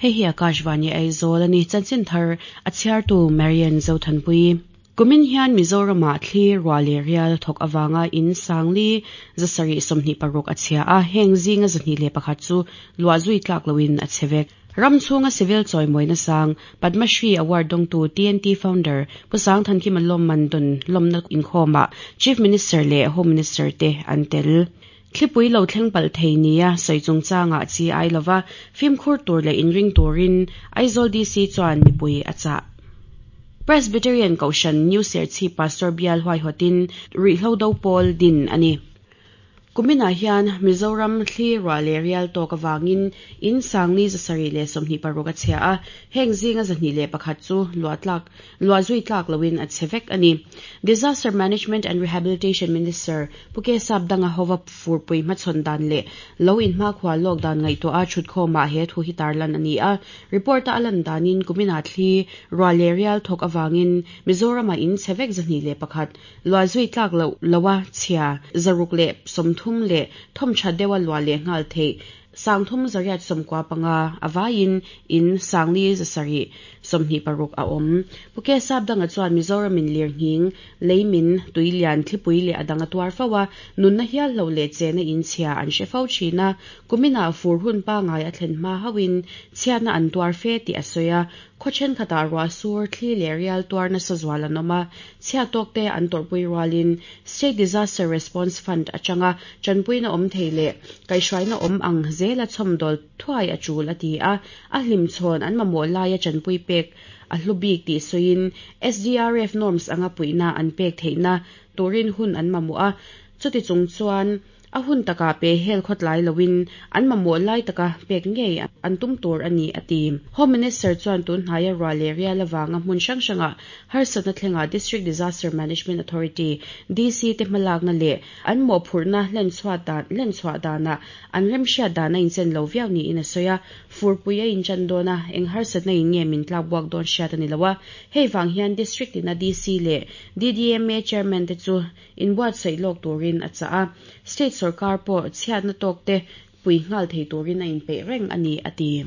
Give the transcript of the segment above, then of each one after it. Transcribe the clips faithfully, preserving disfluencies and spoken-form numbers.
Hei hi Akashvani Aizawl ani chanchin thar a chhiartu Marian Zothanpui. Kumin hian Mizorama thli ruah leh rial thawk awanga in sangli zasarih sawmhnih paruk a chhia a, heng zinga zahnih leh pakhat chu luah zui tlak loin a chhe vek. Ram chhunga civil chawimawina sang Padma Shri Award dawngtu T N T founder Pu Sangthankima lawmman dawn lawmna inkhawmah Chief Minister leh Home Minister te an tel. Thlipui lo thleng palh thei nia sawi chungchangah chi ai lova fimkhur tur leh inring turin Aizawl D C chuan mipui a chah. Presbyterian Kohhran New Serchhip Pastor Bial Huaihawtin Ruihhlo Do Pawl din ani. Kuminah hian Mizoram thli ruah leh rial tawk awangin in sangli zasarih leh sawmhnih paruk a chhia a, heng zinga zahnih leh pakhat chu luah tlak luah zui tlak loin a chhe vek ani. Disaster Management and Rehabilitation Minister Pu K Sapdanga hova furpui hmachhawn dan leh lo in hmakhua lawk dan ngaihtuah a thutkhawmah he thu hi tarlan ani a. Report a alan danin kuminah thli ruah leh rial thawk awangin Mizorama in chhe vek zahnih leh pakhat luah zui tlak lo loa chhia zaruk leh sawmthum le thom tha dewa lua le ngal thei sangthum zariat somkwa panga awain in sangli zasari somhni paruk a awm. Pu K Sapdanga chuan Mizoram in lirnghing leimin tuilian thlipui leh adanga tuar fawa nunna hial lo le chena in chhia an hre fo thina. Kumina fur hun pa ngai a thlen hma hawin chhiatna an tuar fe ti a sawi a. Khawchen khata ruah sur thli leh rial tuar nasa zual an awm a, chhiat tawk te an tawrhpui rualin State Disaster Response Fund atanga chanpuina awm thei leh kaihhruaina awm ang zela chhawmdawl thuai a tul a ti a. A hlim chhawn an mamawh laia chanpui pek a hlu bik tih sawiin S D R F norms anga puihna an pek theihna turin hun an mamawh a. Chuti chung chuan a hun taka pe hel khawtlai loin an mamawh lai taka pek ngei an tum tur ani a ti. Home Minister chuan tun hnaia ruah leh rial awanga hmun hrang hranga harsatna thlenga District Disaster Management Authority D C te hmalakna leh an mawhphurhna hlen chhuah dan hlen chhuah dana an remhriat dana inchen lo viau niin a sawi a. Furpui a inchan dawna eng harsatna in nge min tlak buak dawn hriat ani lo a. Hei vang hian district ina D C leh D D M A chairman te chu inbuatsaih lawk turin a chah a. State sarkar pawh chhiatna tawk te pui ngal thei turin a inpeih reng ani a ti.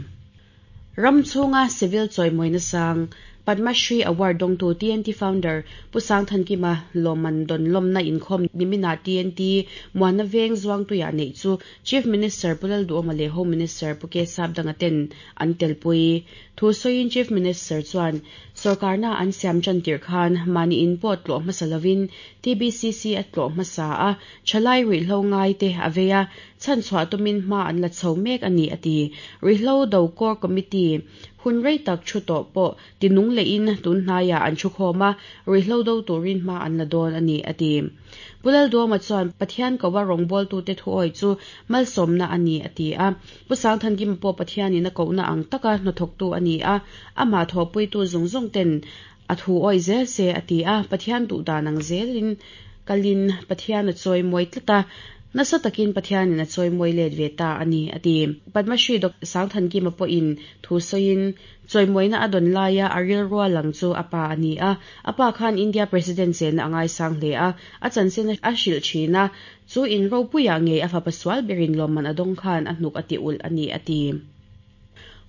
Ram chhunga civil chawimawina sang Padma Shri Award dawngtu T N T founder Pu Sangthankima lawmman dawn lawmna inkhawm nimina T N T Muana Veng Zuangtuia nei chu Chief Minister Pu Lalduhoma leh Home Minister Pu K Sapdanga ten an telpui. Thu sawiin Chief Minister chuan sarkarna an siam chan tir khan mani in pawh tlawh hmasa lovin T B C C a tlawh hmasa a, thalai ruihhlo ngai te a vei a, chhan chhuah tumin hma an la chho mek ani a ti. Ruihhlo Do Core Committee hun rei tak thu tawh pawh tinung leh in tun hnaia an thu khawm a, ruihhlo do turin hma an la dawn ani a ti. Pu Lalduhoma chuan Pathian kowa rawngbawltu te thu awi chu malsawmna ani a ti a. Pu Sangthankima pawh Pathianin a kohna ang taka hnathawktu ani a, amah thawhpuitu zawng zawng ten a thu awi zel se a ti a. Pathian duh dan ang zelin kalin Pathian a chawi mawi tlat a, nasa takin Pathianin a chawi mawi let ve ta ani a ti. Padma Shri Doctor Sangthankima pawhin thu sawiin chawimawina a dawn laia a ril rual lang chu a pa ani a. A pa khan India President chena angai sang hle a, a chanchin a hrilh thin a, chu in ropuia ngei a fapa sual berin lawmman a dawng khan a hnuk a ti ulh ani a ti.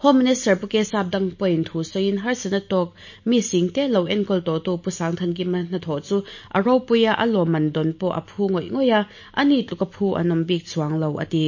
Home Minister Pu K Sapdang pawhin thu sawiin harsatna tawk mi sing te lo enkawl tawh tu Pu Sangthankima hnathawh chu a ropuia a lawmman dawn pawh a phu ngawih ngawih a, ani tluk a phu an awm bik chuang lo a ti.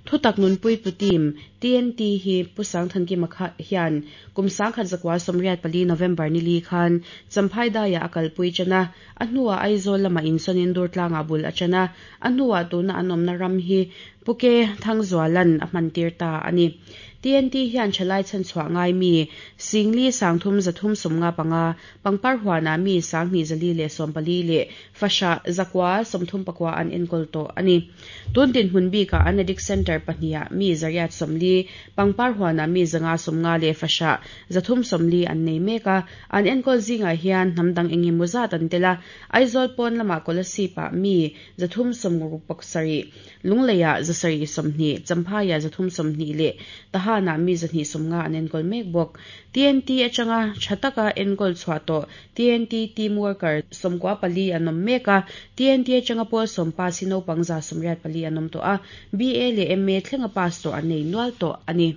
Thutak nunpui tu team T N T hi Pu Sangthankima kha hian kum sangkhat zakwa sawmriat pali November ni li khan Champhai daia a kalpui chana, a hnuah Aizawl lama insawn dur tlanga bul a chana, a hnuah tuna an awmna ram hi Pu K Thangzualan a hman tir ta ani. T N T hian thalai chan chhuah ngai mi singli sangthum zathum somnga panga pangpar huana mi sanghni zali le sompali le fasha zakwa somthum pakwa an enkol to ani. Tun din hun bi ka an addict center pahnia mi zariat somli pangpar huana mi zanga somnga le fasha zathum somli an nei meka an enkol zinga hian hnamdang engi muzat an tela. Aizawl pon lama Kolasipa mi zathum somruk paksari lungleia zasari somhni Champhaya zathum somhni le Tahana mi zahni somnga an enkol mek bawk. T N T atanga thataka enkol chhuah tawh T N T team worker somkwa pali an awm mek a. T N T atanga pawl sawmpa si naupang za sawmriat pali an awm tawh a, B A leh M A thlenga pass tawh an nei nual tawh ani.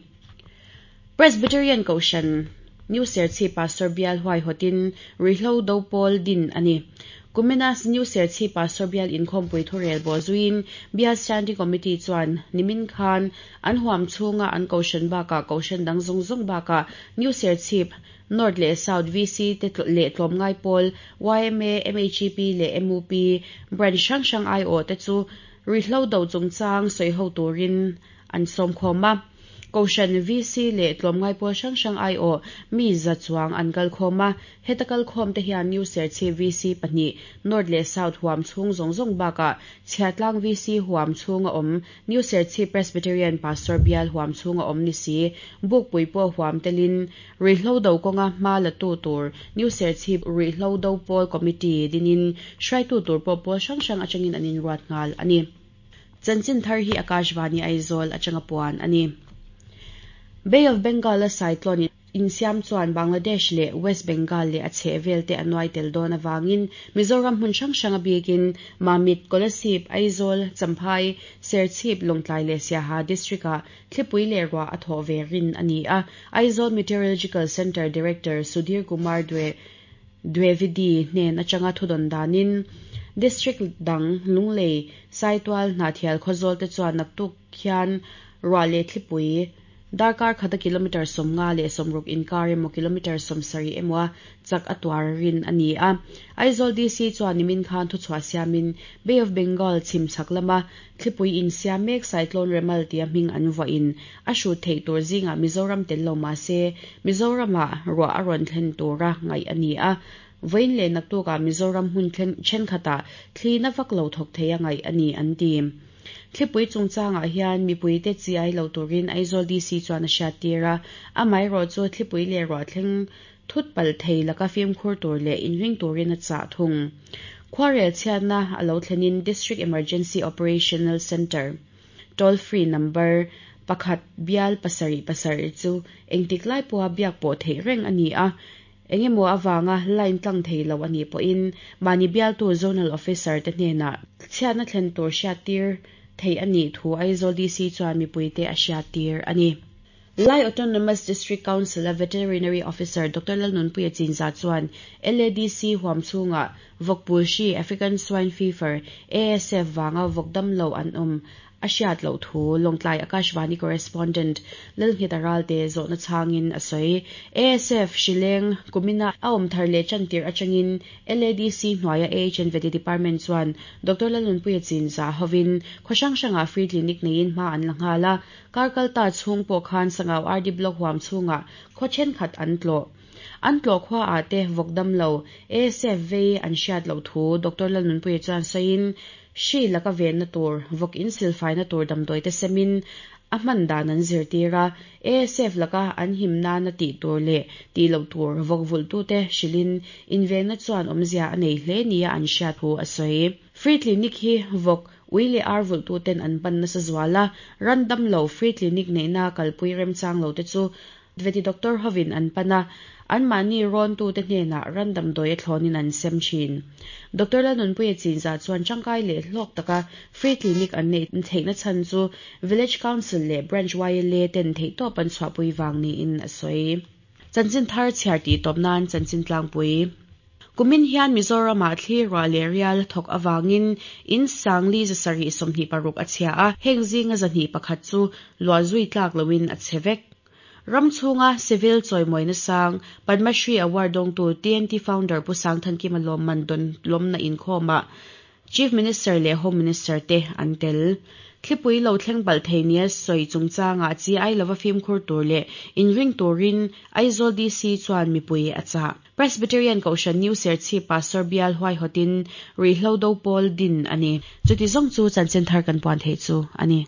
Presbyterian Kohhran New Serchhip Pastor Bial huaihawtin Ruihhlo Do Pawl din a ni. Kumina New Serchhip Pastor Bial inkhawmpui thurel bawh zuiin Bial Standing Committee chuan nimin khan an huam chhunga an Kohhran bakah Kohhran dang zawng zawng bakah New Serchhip North leh South VC te leh tlawmngai pawl YMA, MHEP leh MUP branch hrang hrang aiawh te chu Ruihhlo do chungchang sawiho turin an sawm khawm a. Kohhran VC leh tlawmngai pawl hrang hrang aiawh mi za chuang an kal khawm a. Heta kal khawm te hian New Serchhip VC pahnih North leh South huam chhung zawng zawng bakah Chhiatlang VC huam chhunga awm New Serchhip Presbyterian Pastor Bial huam chhunga awm ni si Bukpui pawh huam telin Ruihhlo do kawnga hma la tu tur New Serchhip Ruihhlo Do Pawl Committee dinin hruaitu tur pawh pawl hrang hrang atangin an inruat nghal a ni. Chanchin thar hi Akashvani Aizawl atanga puan a ni. Bay of Bengal a cyclone insiam chuan Bangladesh leh West Bengal leh a chhehvel te a nuai tel dawn avangin Mizoram hmun hrang hrang a bikin Mamit, Kolasib, Aizawl, Champhai, Serchhip, Lawngtlai leh Siaha district ah thlipui leh ruah a thawh ve rin a ni a. Aizawl Meteorological Centre Director Sudhir Kumar Dwivedi hnen atanga thudawn danin District dang Lunglei, Saitual, Hnahthial Khawzawl te chuan naktuk khian ruah leh thlipui darkar khata kilometer sawmnga leh sawmruk inkar emaw kilometer sawmsarih emaw chak a tuar rin a ni a. Aizawl DC chuan nimin khan thuchhuah siamin Bay of Bengal chhim chhak lama thlipui insiam mek cyclone Remal tia hming an vuahin a hrut theih tur zingah Mizoram tel lo mahse Mizoramah ruah a rawn thlen tura ngaih a ni a. Vawiin leh naktukah Mizoram hmun thenkhatah thli na vak lo thawk thei a ngaih a ni an ti. Thlipui chungchangah hian mipui te chi ai lo turin Aizawl DC chuan a hriat tir a. Amaherawh chu thlipui leh ruah thleng thut palh thei laka fimkhur tur leh inring turin a chah thung. Khuarel chhiatna a lo thlenin District Emergency Operational Centre toll free number pakhat bial pasarih pasarih chu engtik lai pawha biak pawh theih reng a ni a. Engemaw awanga line tlang thei lo ani pawhin mahni bialtu zonal officer te hnenah chhiatna thlen tur hriat tir thei a nih thu Aizawl DC chuan mipui te a hriat tir a ni. Lai Autonomous District Council a Veterinary Officer Dr. Lalnunpuia Chinza chuan LADC huam chhunga vawkpul hri African Swine Fever ASF wanga vawk dam lo an awm a hriat loh thu Lawngtlai Akashvani correspondent Lalnghet Ralte zawhna changin a sawi ASF hrileng kumina a awm thar leh chantir atangin LADC hnuaia AHN Vety Department chuan Dr. Lalnunpuia Chinza hovin khaw hrang hranga free clinic neiin hma an la nghal a karkalta chhung pawh khan Sangau RD Block huam chhunga khaw thenkhat an tlawh an tlawh khua a te vawk dam lo ASF vei an hriat loh thu Dr. Lalnunpuia chuan sawiin hri laka venna tur vawk in silfai na tur damdawi te semin a hman dan an zirtir a ASF laka an him nana tih tur leh tih loh tur vawk vulh tu te hrilhin invenna chuan awmzia a nei hle nia an hriat thu a sawi. Free clinic hi vawk ui leh ar vulh tu ten an pan nasa zuala ran dam lo free clinic neihna kalpui remchang lo te chu vety doctor hovin an pana an mahni rawn tu te hnenah ran damdawi a thlawnin an sem thin. Dr. Lalnunpuia Chinza chuan tangkai leh hlawk taka free clinic an nei theihna chhan chu Village Council leh Branch YLA ten theihtawp an chhuahpui wang niin a sawi. Chanchin thar chhiar tih tawp nan chanchin tlangpui. Kumin hian Mizoramah thli ruah leh rial thawk awangin in sangli zasarih sawmhnih paruk a chhia a heng zinga zahnih pakhat chu luah zui tlak loin a che vek. Ram chhunga civil chawimawina sang Padma Shri Award dawngtu TNT founder Pu Sangthankima lawmman don lawmna inkhawma Chief Minister leh Home Minister te an tel. Thlipui lo thleng palh thei nia sawi chungchanga chi ai lova fimkhur tur leh inring turin Aizawl DC chuan mipui a chah. Presbyterian Kohhran New Serchhip Pastor Bial huaihawtin Ruihhlo Do Pawl din a ni. Chuti zawng chu chanchin thar kan puan thei chu a ni.